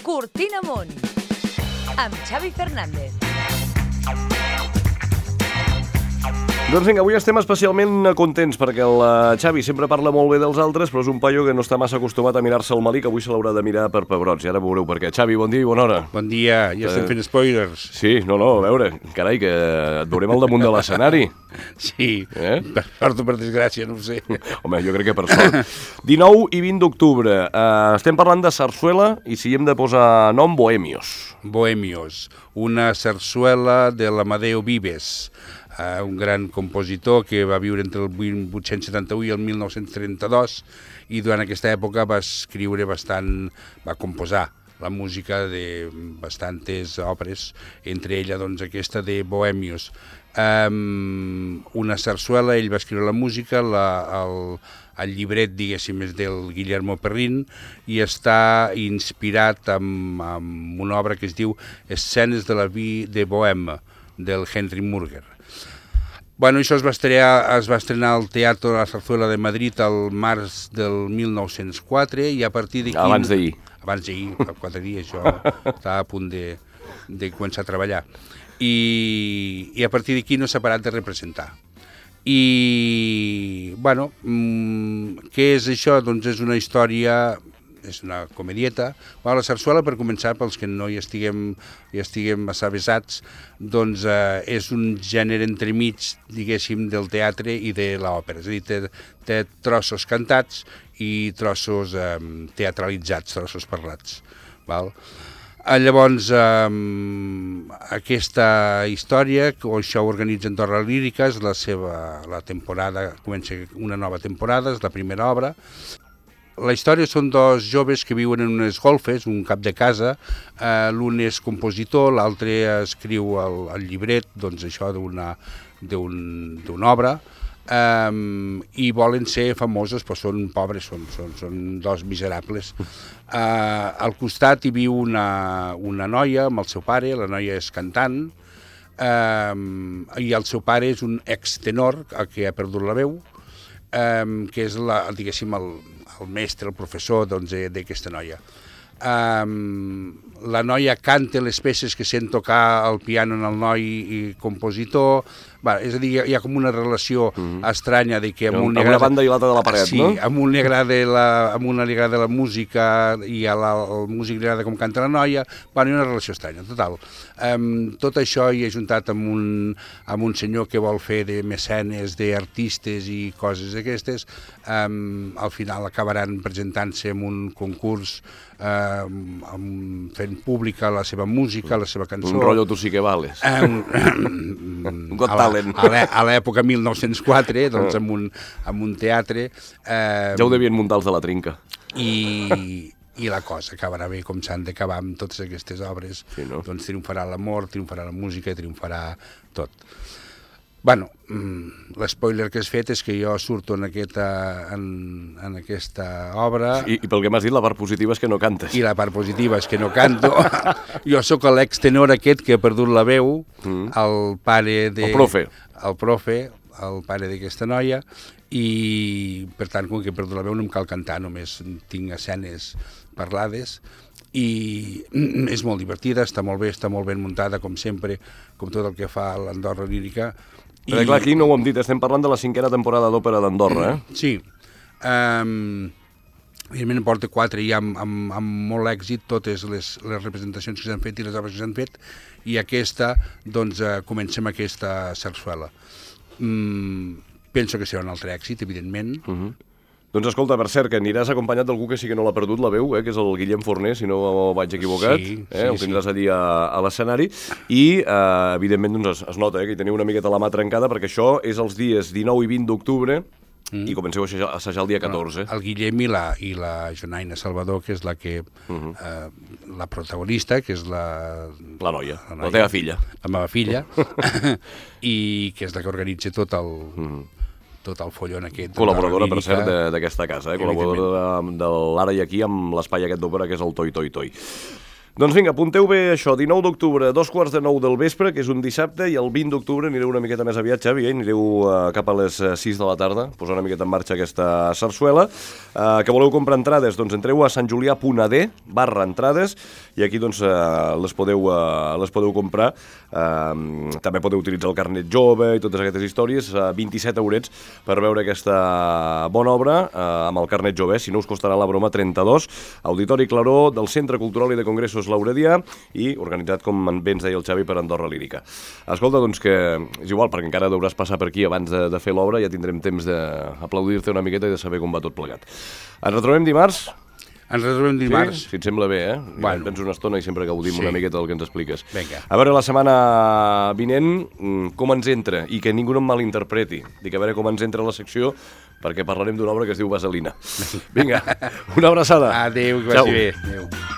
Cortina Amunt, amb Xavi Fernández. Doncs vinga, avui estem especialment contents perquè el Xavi sempre parla molt bé dels altres, però és un paio que no està massa acostumat a mirar-se el Malic, avui se l'haurà de mirar per pebrots, i ara veureu per què. Xavi, bon dia i bona hora. Bon dia, ja estem fent spoilers. Sí, no, a veure, carai, que et veurem al damunt de l'escenari. Sí, per sort o per desgràcia, no ho sé. Home, jo crec que per sort. 19 i 20 d'octubre, estem parlant de sarsuela i si hem de posar nom, Bohemios. Bohemios, una sarsuela de l'Amadeo Vives, un gran compositor que va viure entre el 1871 i el 1932 i durant aquesta època va composar la música de bastantes òperes, entre ella doncs, aquesta de Bohemios. Una sarsuela, ell va escriure la música, el llibret, diguéssim, és del Guillermo Perrin i està inspirat en una obra que es diu Escenes de la vie de Bohème, del Henry Murger. Bueno, això es va estrenar al Teatro La Zarzuela de Madrid el març del 1904 i a partir d'aquí... Abans d'ahir. Abans d'ahir, fa 4 dies, jo estava a punt de començar a treballar. I a partir d'aquí no s'ha parat de representar. I, bueno, què és això? Doncs és una història... és una comedieta. Bueno, la sarsuela, per començar, pels que no hi estiguem massa avesats, doncs és un gènere entremig, diguéssim, del teatre i de l'òpera. És a dir, té trossos cantats i trossos teatralitzats, trossos parlats. Val? Llavors, aquesta història, això ho organitza Andorra Lírica, és la temporada, comença una nova temporada, és la primera obra. La història són dos joves que viuen en unes golfes, un cap de casa, l'un és compositor, l'altre escriu el llibret, doncs això d'una obra, i volen ser famosos, però són pobres, són dos miserables. Al costat hi viu una noia amb el seu pare, la noia és cantant, i el seu pare és un extenor que ha perdut la veu, que és, diguéssim, el mestre, el professor d'aquesta noia. La noia canta les peces que sent tocar el piano en el noi i compositor. És a dir, hi ha com una relació estranya de que amb una banda i l'altra de la paret, sí, no? Sí, a una li agrada la música i al músic li agrada com canta la noia. Hi ha una relació estranya, total. Tot això hi ha juntat amb un senyor que vol fer de mecenes d'artistes i coses d'aquestes. Al final acabaran presentant-se en un concurs fent pública la seva música, la seva cançó. Un rotllo Tu sí que vales. Got Talent. A l'època 1904, doncs, en un teatre. Ja ho devien muntar els de la trinca. I la cosa acabarà bé com s'han d'acabar amb totes aquestes obres. Sí, no? Doncs triomfarà l'amor, triomfarà la música, triomfarà tot. Bueno, l'espoiler que has fet és que jo surto en aquesta obra... I pel que m'has dit, la part positiva és que no cantes. I la part positiva és que no canto. Jo sóc l'extenor aquest que ha perdut la veu, el pare de... El profe. El profe, el pare d'aquesta noia, i per tant, com que he perdut la veu no em cal cantar, només tinc escenes parlades, i és molt divertida, està molt ben muntada, com sempre, com tot el que fa l'Andorra Lírica. Però clar, aquí no ho hem dit, estem parlant de la 5a temporada d'òpera d'Andorra, eh? Sí. Evidentment en porta 4 i amb molt èxit totes les representacions que s'han fet i les obres que s'han fet, i aquesta, doncs, comença amb aquesta sarsuela. Penso que serà un altre èxit, evidentment. Doncs escolta, per cert, que aniràs acompanyat d'algú que sí que no l'ha perdut la veu, que és el Guillem Forner, si no vaig equivocat. Sí, el tindràs allí a l'escenari. I, evidentment, doncs, es nota que hi teniu una miqueta la mà trencada, perquè això és els dies 19 i 20 d'octubre, i comenceu a assajar el dia 14. El Guillem i la Jonaina Salvador, que és la protagonista, que és la noia, la teva filla. La meva filla, i que és la que organitza tot el follon aquest. Col·laboradora, per cert, d'aquesta casa, col·laboradora de l'Ara i Aquí amb l'espai aquest d'òpera que és el Toi Toi Toi. Doncs vinga, apunteu bé això, 19 d'octubre, 2:45 del vespre, que és un dissabte, i el 20 d'octubre anireu una miqueta més aviat, Xavi, anireu cap a les 6 de la tarda, posar una miqueta en marxa aquesta sarsuela. Que voleu comprar entrades? Doncs entreu a santjulià.ad/entrades i aquí doncs, les podeu comprar. També podeu utilitzar el carnet jove i totes aquestes històries, 27 eurets per veure aquesta bona obra amb el carnet jove, si no us costarà la broma 32, Auditori Claró del Centre Cultural i de Congressos Lauredià i organitzat, com bé ens deia el Xavi, per Andorra Lírica. Escolta, doncs que és igual, perquè encara deuràs passar per aquí abans de fer l'obra, ja tindrem temps d'aplaudir-te una miqueta i de saber com va tot plegat. Ens retrobem dimarts? Ens retrobem dimarts. Sí? Si et sembla bé, Bueno. Tens una estona i sempre gaudim una miqueta del que ens expliques. Vinga. A veure, la setmana vinent, com ens entra, i que ningú no em malinterpreti. Dic, a veure com ens entra la secció, perquè parlarem d'una obra que es diu Vaselina. Vinga, una abraçada. Adéu, que Ciao. vagi bé. Adéu.